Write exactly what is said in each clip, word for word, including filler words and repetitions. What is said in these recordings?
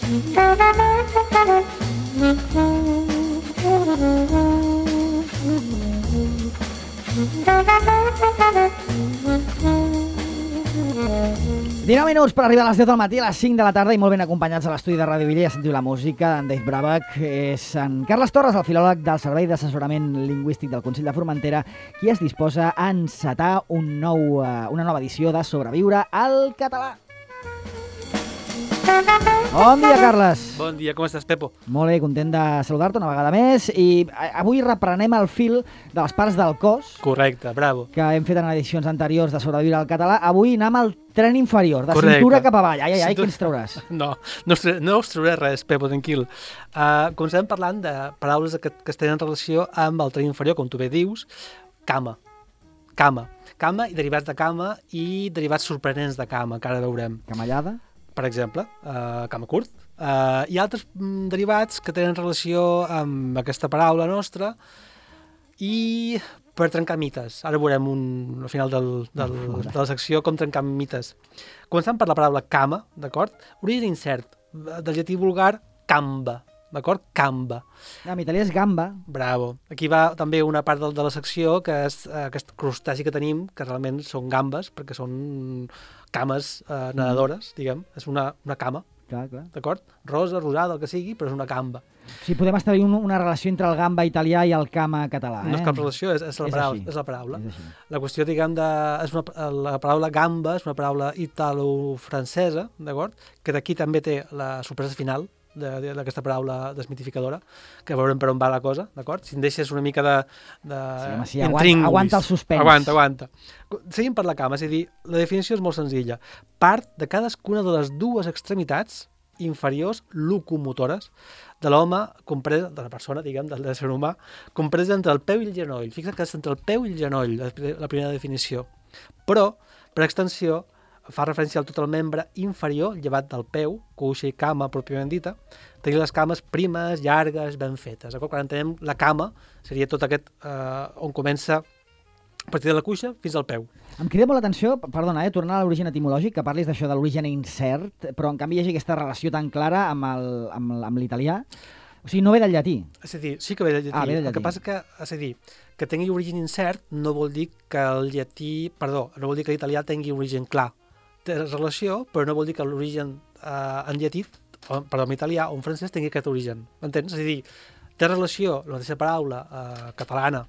dinou minuts per arribar a les deu del matí, a les cinc de la tarda, i molt ben acompanyats a l'estudi de Ràdio Villa. Ja sentiu la música d'en Dave Brubeck. És en Carles Torres, el filòleg del Servei d'Assessorament Lingüístic del Consell de Formentera, qui es disposa a encetar un nou, uh, una nova edició de Sobreviure al català. Bon dia, Carles. Bon dia, com estàs, Pepo? Molt bé, content de saludar-te una vegada més. I avui reprenem el fil de les parts del cos. Correcte, bravo. Que hem fet en edicions anteriors de Sobreviure al català. Avui anem al tren inferior, de Correcte. Cintura cap avall. Ai, ai, ai, Cintura... què ens trauràs? No, no us, no us trauré res, Pepo, tranquil. Uh, comencem parlant de paraules que, que es tenen relació amb el tren inferior, com tu bé dius, cama. Cama. Cama i derivats de cama i derivats sorprenents de cama, que ara veurem. Camallada? Per exemple, uh, cama curt. Uh, hi ha altres mm, derivats que tenen relació amb aquesta paraula nostra i per trencar mites. Ara veurem un, al final del, del, de la secció com trencar mites. Començant per la paraula cama, d'acord? Origen incert, del llatí vulgar camba, d'acord? Camba. En italià és gamba. Bravo. Aquí va també una part de, de la secció que és uh, aquest crustaci que tenim, que realment són gambes, perquè són cames eh, nedadores, diguem. És una, una cama, clar, clar. D'acord? Rosa, rosada, el que sigui, però és una camba. Sí, podem establir un, una relació entre el gamba italià i el cama català. Eh? No és cap relació, és, és, la, és, paraula, és la paraula. És la qüestió, diguem, de, és una, la paraula gamba és una paraula italo-francesa, d'acord? Que d'aquí també té la sorpresa final d'aquesta paraula desmitificadora, que veurem per on va la cosa, d'acord? Si em deixes una mica de... de sí, home, sí, aguanta, aguanta el suspens. Aguanta, aguanta. Seguim per la cama, és a dir, la definició és molt senzilla. Part de cadascuna de les dues extremitats inferiors locomotores de l'home, compresa, de la persona, diguem, del ser humà, compresa entre el peu i el genoll. Fixa't que és entre el peu i el genoll, la primera definició. Però, per extensió, fa referència a tot el membre inferior, llevat del peu, cuixa i cama, pròpiament dita, tenir les cames primes, llargues, ben fetes. Quan entenem la cama, seria tot aquest eh, on comença a partir de la cuixa fins al peu. Em crida molt l'atenció, perdona, eh, tornar a l'origen etimològic, que parlis d'això de l'origen incert, però en canvi hi hagi aquesta relació tan clara amb, el, amb, amb l'italià. O sigui, no ve del llatí. És a dir, sí que ve del llatí. Ah, ve del llatí. El que passa que, és a dir, que tingui origen incert no vol dir que el llatí, perdó, no vol dir que l'italià tingui origen clar. Té relació, però no vol dir que l'origen eh, en llatí, o, perdó, en italià o en francès tingui aquest origen. M'entens? És a dir, té relació la mateixa paraula eh, catalana,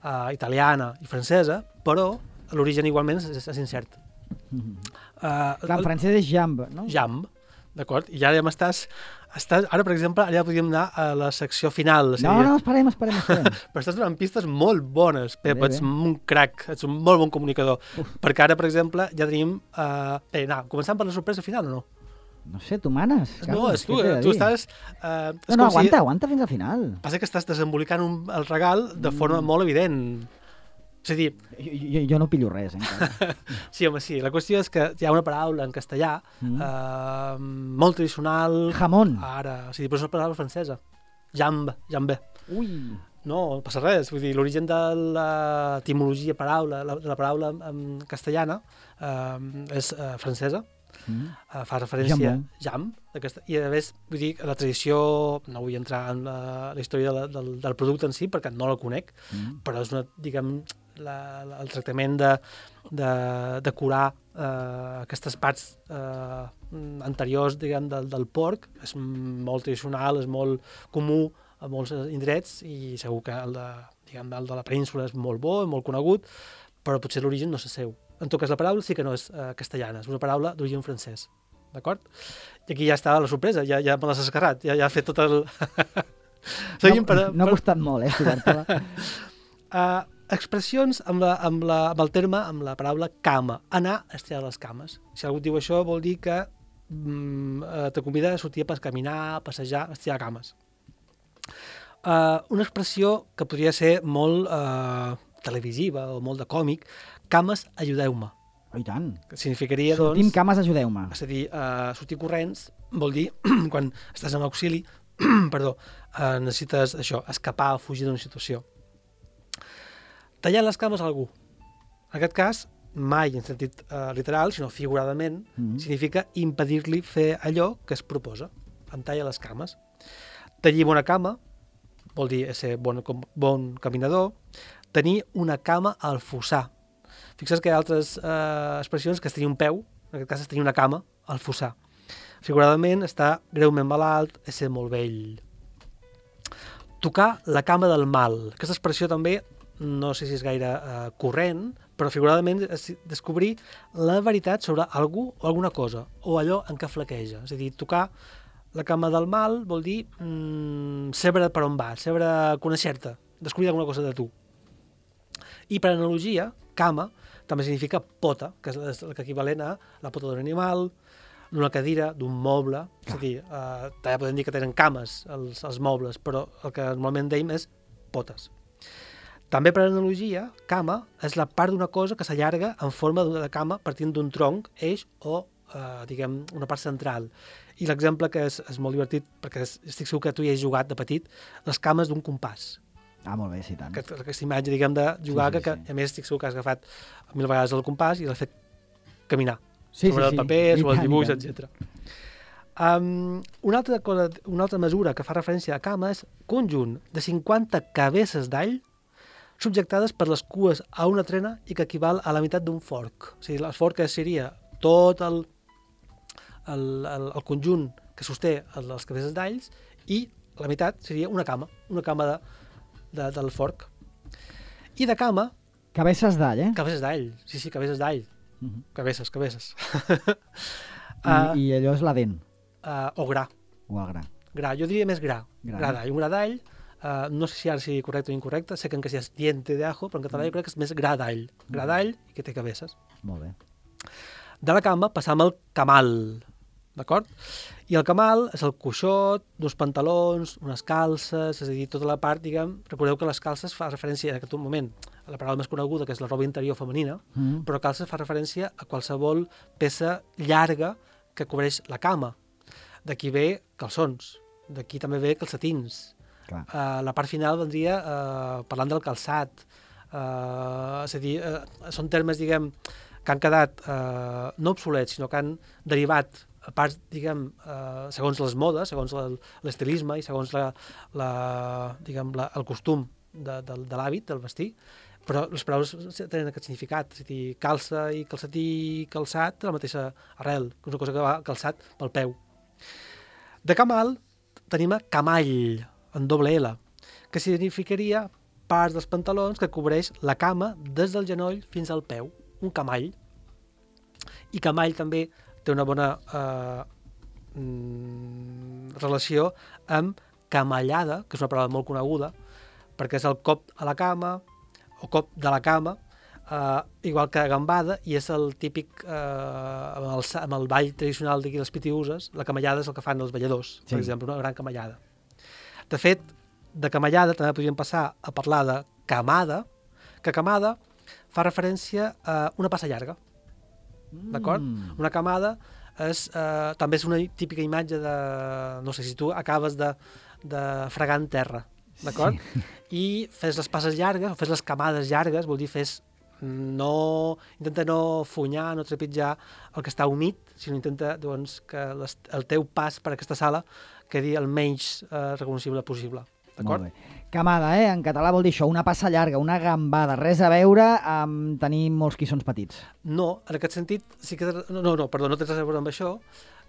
eh, italiana i francesa, però l'origen igualment és, és incert. Mm-hmm. uh, Clar, en francès és jamb, no? Jamb, d'acord? I ara ja m'estàs... Estàs, ara, per exemple, ara ja podríem anar a la secció final. No, no, esperem, esperem, esperem. Però estàs donant pistes molt bones, Pep, bé, ets bé. Un crac, ets un molt bon comunicador. Uf. Perquè ara, per exemple, ja tenim... Uh, eh, no, començant per la sorpresa final o no? No sé, tu manes. Carles, no, és tu, tu estàs... Uh, no, no, aguanta, si... aguanta fins al final. Passa que estàs desembolicant un, el regal de forma mm. molt evident. És a dir... Jo, jo, jo no pillo res, encara. Sí, home, sí. La qüestió és que hi ha una paraula en castellà mm. eh, molt tradicional... Jamón. Ara, o sigui, però és una paraula francesa. Jambe, jambe. Ui. No, no passa res. Vull dir, l'origen de l'etimologia paraula, la, de la paraula en castellana eh, és eh, francesa. Mm. Uh, fa referència a jam, aquesta, i a més, vull dir, la tradició, no vull entrar en la, la història de la, del, del producte en si, perquè no la conec, mm. però és una, diguem, la, la, el tractament de, de, de curar uh, aquestes parts uh, anteriors, diguem, del, del porc, és molt tradicional, és molt comú a molts indrets, i segur que el de, diguem, el de la península és molt bo, molt conegut, però potser l'origen no és seu. En tot cas, la paraula sí que no és uh, castellana, és una paraula d'origen francès, d'acord? I aquí ja està la sorpresa, ja, ja me l'has escarrat, ja, ja ha fet tot el... no, per, no ha costat per... molt, eh, estudiar-te-la. uh, expressions amb, la, amb, la, amb el terme, amb la paraula cama, anar a estirar les cames. Si algú diu això, vol dir que mm, te convida a sortir a caminar, a passejar, a estirar cames. Uh, una expressió que podria ser molt uh, televisiva o molt de còmic, cames, ajudeu-me. Oh, i tant. Que significaria, Sortim doncs... cames, ajudeu-me. És a dir, uh, sortir corrents vol dir, quan estàs en auxili, perdó, uh, necessites això, escapar o fugir d'una situació. Tallar les cames a algú. En aquest cas, mai en sentit uh, literal, sinó figuradament, mm-hmm. significa impedir-li fer allò que es proposa. entalla les cames. Tenir bona cama vol dir ser bon, bon caminador. Tenir una cama al fossar. Fixa't que hi ha altres eh, expressions que és tenir un peu, en aquest cas és tenir una cama al fossar. Figuradament, està greument malalt, és ser molt vell. Tocar la cama del mal. Aquesta expressió també, no sé si és gaire eh, corrent, però figuradament és descobrir la veritat sobre algú o alguna cosa, o allò en què flaqueja. És a dir, tocar la cama del mal vol dir mm, saber per on vas, saber conèixer-te, descobrir alguna cosa de tu. I per analogia, cama també significa pota, que és l'equivalent a la pota d'un animal, d'una cadira, d'un moble. És a dir, eh, també podem dir que tenen cames els, els mobles, però el que normalment deim és potes. També per analogia, cama és la part d'una cosa que s'allarga en forma de cama partint d'un tronc, eix o, eh, diguem, una part central. I l'exemple que és, és molt divertit, perquè estic segur que tu hi has jugat de petit, les cames d'un compàs. Ah, molt bé, sí, tant. Aquest, aquesta imatge, diguem, de jugar, sí, sí, que, que sí. a més estic segur que has agafat mil vegades el compàs i l'has fet caminar. Sí, sobre sí, el sí. paper, I sobre el tant, dibuix, i tant. etcètera. Um, una, altra cosa, una altra mesura que fa referència a cama és conjunt de cinquanta cabesses d'all subjectades per les cues a una trena i que equival a la meitat d'un forc. O sigui, el forc seria tot el, el, el, el conjunt que sosté les cabesses d'alls i la meitat seria una cama, una cama de, de, del forc. I de cama... Cabesses d'all, eh? Cabesses d'all, sí, sí, cabesses d'all. Uh -huh. Cabesses, cabesses. I, uh, I allò és la dent. Uh, o gra. O el gra. Gra, jo diria més gra. Gra, gra d'all. Un gra d'all, uh, no sé si ara sigui correcte o incorrecte, sé que en castellà és diente de ajo, però en català jo crec que és més gra d'all. Gra d'all i que té cabesses. Molt bé. De la cama passam al camal, d'acord? I el camal és el coixot, uns pantalons, unes calces, és a dir, tota la part, diguem, recordeu que les calces fa referència en aquest moment a la paraula més coneguda, que és la roba interior femenina, mm. però calces fa referència a qualsevol peça llarga que cobreix la cama. D'aquí ve calçons, d'aquí també ve calcetins. Uh, la part final vendria uh, parlant del calçat. Uh, és a dir, uh, són termes, diguem, que han quedat uh, no obsolets, sinó que han derivat a parts, diguem, uh, segons les modes, segons l'estilisme i segons la, la, diguem, la, el costum de, de, de l'hàbit, del vestir, però les paraules tenen aquest significat, és a dir, calça i calcetí i calçat té la mateixa arrel, que és una cosa que va calçat pel peu. De camal tenim a camall, en doble L, que significaria parts dels pantalons que cobreix la cama des del genoll fins al peu, un camall. I camall també té una bona eh, mm, relació amb camallada, que és una paraula molt coneguda, perquè és el cop a la cama, o cop de la cama, uh, igual que gambada, i és el típic, uh, amb, el, amb el ball tradicional d'aquí les pitiuses, la camallada és el que fan els balladors, sí. Per exemple, una gran camallada. De fet, de camallada també podríem passar a parlar de camada, que camada fa referència a una passa llarga, mm. d'acord? Una camada és, uh, també és una típica imatge de, no sé, si tu acabes de, de fregar en terra, d'acord? Sí. I fes les passes llargues, o fes les camades llargues, vol dir fes no... Intenta no funyar, no trepitjar el que està humit, sinó intenta, doncs, que les, el teu pas per aquesta sala quedi el menys eh, recognoscible possible, d'acord? Molt bé. Camada, eh? En català vol dir això, una passa llarga, una gambada, res a veure amb tenir molts quissons petits. No, en aquest sentit, sí que... No, no, no perdó, no té res a veure amb això.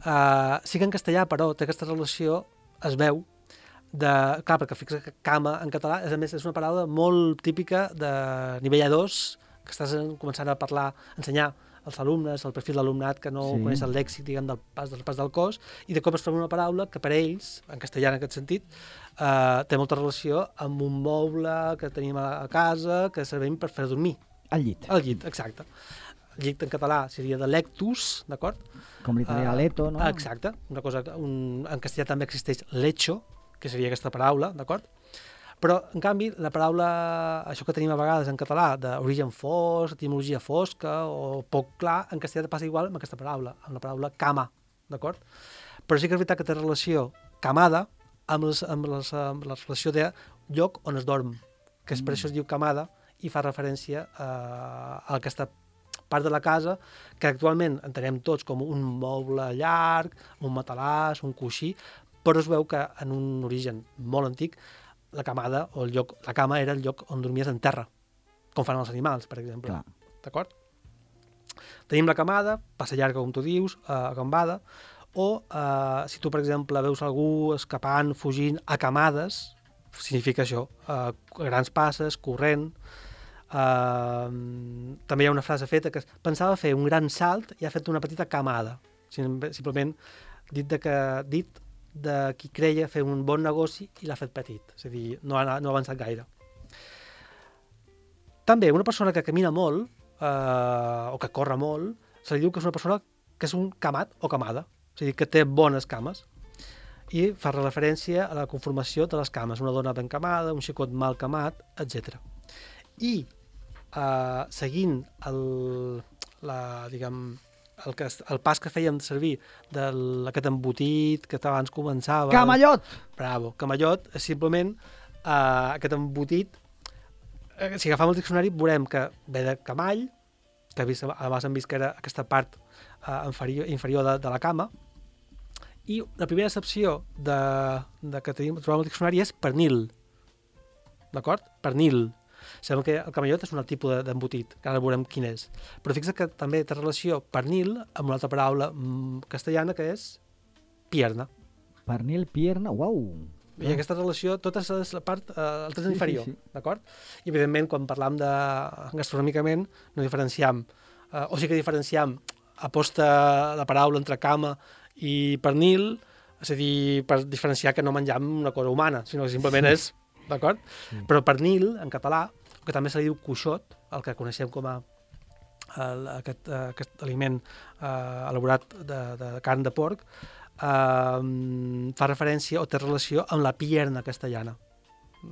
Uh, sí que en castellà, però, té aquesta relació, es veu, de, clar, perquè fixa que cama en català és, a més, és una paraula molt típica de nivell A dos, que estàs començant a parlar, a ensenyar als alumnes, al perfil d'alumnat que no sí. coneix el lèxic, diguem, del pas, del pas del cos, i de cop es troba una paraula que per ells, en castellà en aquest sentit, eh, té molta relació amb un moble que tenim a casa, que servim per fer dormir. El llit. El llit, exacte. El llit en català seria de lectus, d'acord? Com l'italià uh, leto, no? Exacte. Una cosa, un, en castellà també existeix lecho, que seria aquesta paraula, d'acord? Però, en canvi, la paraula, això que tenim a vegades en català, d'origen fosc, etimologia fosca o poc clar, en castellà passa igual amb aquesta paraula, amb la paraula cama, d'acord? Però sí que és veritat que té relació camada amb, les, amb, les, amb la relació de lloc on es dorm, que és, mm. per això es diu camada i fa referència a, a aquesta part de la casa que actualment entenem tots com un moble llarg, un matalàs, un coixí, però es veu que en un origen molt antic la camada o el lloc, la cama era el lloc on dormies en terra, com fan els animals, per exemple. Clar. D'acord? Tenim la camada, passa llarga, com tu dius, a gambada, o eh, si tu, per exemple, veus algú escapant, fugint a camades, significa això, eh, grans passes, corrent. Eh, també hi ha una frase feta que pensava fer un gran salt i ha fet una petita camada. Simplement dit de, que, dit de qui creia fer un bon negoci i l'ha fet petit, és a dir, no ha, no ha avançat gaire. També una persona que camina molt, eh, o que corre molt, se li diu que és una persona que és un camat o camada, és a dir, que té bones cames, i fa referència a la conformació de les cames, una dona ben camada, un xicot mal camat, etcètera. I eh, seguint el, la, diguem, el, que, el pas que fèiem servir d'aquest embotit que abans començava... Camallot! Bravo, camallot és simplement eh, aquest embotit. Eh, si agafam el diccionari veurem que ve de camall, que abans hem vist que era aquesta part eh, inferior, inferior de, de la cama, i la primera accepció de, de que tenim, trobem al diccionari és pernil. D'acord? Pernil. Sabem que el camallot és un altre tipus d'embotit, que ara veurem quin és. Però fixa't que també té relació pernil amb una altra paraula castellana que és pierna. Pernil, pierna, uau! I aquesta relació, tota és la part, eh, el tret sí, inferior, sí, sí. d'acord? I evidentment, quan parlam de gastronòmicament, no diferenciam, eh, o sí que diferenciam aposta la paraula entre cama i pernil, és a dir, per diferenciar que no menjam una cosa humana, sinó que simplement és, d'acord? Sí. Però pernil, en català, que també se li diu cuixot, el que coneixem com a el, aquest, aquest aliment eh, elaborat de, de carn de porc, eh, fa referència o té relació amb la pierna castellana,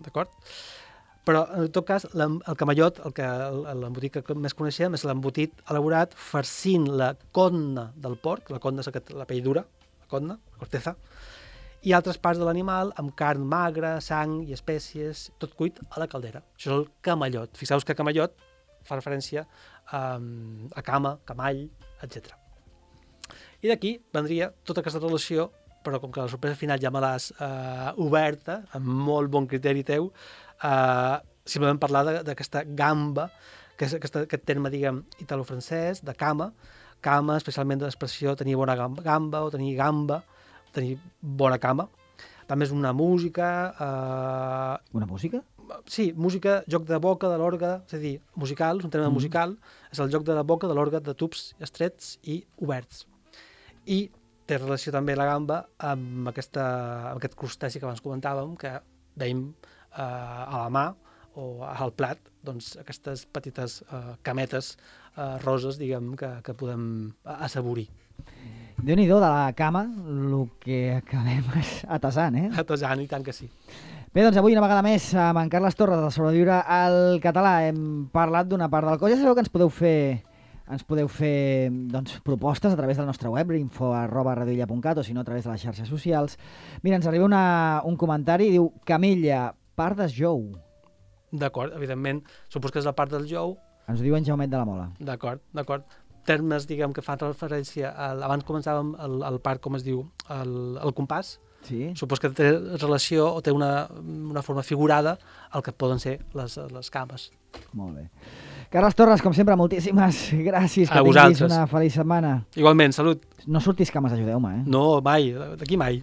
d'acord? Però, en tot cas, el camallot, el que l'embotit que més coneixem, és l'embotit elaborat farcint la codna del porc, la codna és aquest, la pell dura, la codna, la corteza, i altres parts de l'animal amb carn magra, sang i espècies, tot cuit a la caldera. Això és el camallot. Fixeu-vos que camallot fa referència a, a cama, camall, etcètera. I d'aquí vendria tota aquesta relació, però com que la sorpresa final ja me l'has eh, oberta, amb molt bon criteri teu, eh, simplement parlar d'aquesta gamba, que és aquesta, aquest terme, diguem, italo-francès, de cama, cama, especialment de l'expressió tenir bona gamba o tenir gamba, tenir bona cama. També és una música... Eh... Una música? Sí, música, joc de boca, de l'orgue, és a dir, musical, és un terme mm. musical, és el joc de la boca, de l'orgue, de tubs estrets i oberts. I té relació també la gamba amb, aquesta, amb aquest crusteci que abans comentàvem, que veiem eh, a la mà o al plat, doncs aquestes petites eh, cametes eh, roses, diguem, que, que podem assaborir. Déu-n'hi-do de la cama, el que acabem atasant, eh? Atasant, i tant que sí. Bé, doncs avui una vegada més amb en Carles Torres de Sobreviure al Català hem parlat d'una part del cos. Ja sabeu que ens podeu fer ens podeu fer doncs, propostes a través del nostre web, info arroba radioilla punt cat, o si no a través de les xarxes socials. Mira, ens arriba una, un comentari, diu Camilla, part del jou. D'acord, evidentment, supos que és la part del jou. Ens ho diu en Jaumet de la Mola. D'acord, d'acord. Termes, diguem, que fan referència a... Abans començàvem el, el part, com es diu, el, el compàs. Sí. Supos que té relació o té una, una forma figurada al que poden ser les, les cames. Molt bé. Carles Torres, com sempre, moltíssimes gràcies. Que a tinguis vosaltres. Una feliç setmana. Igualment, salut. No surtis cames, ajudeu-me, eh? No, mai, d'aquí mai.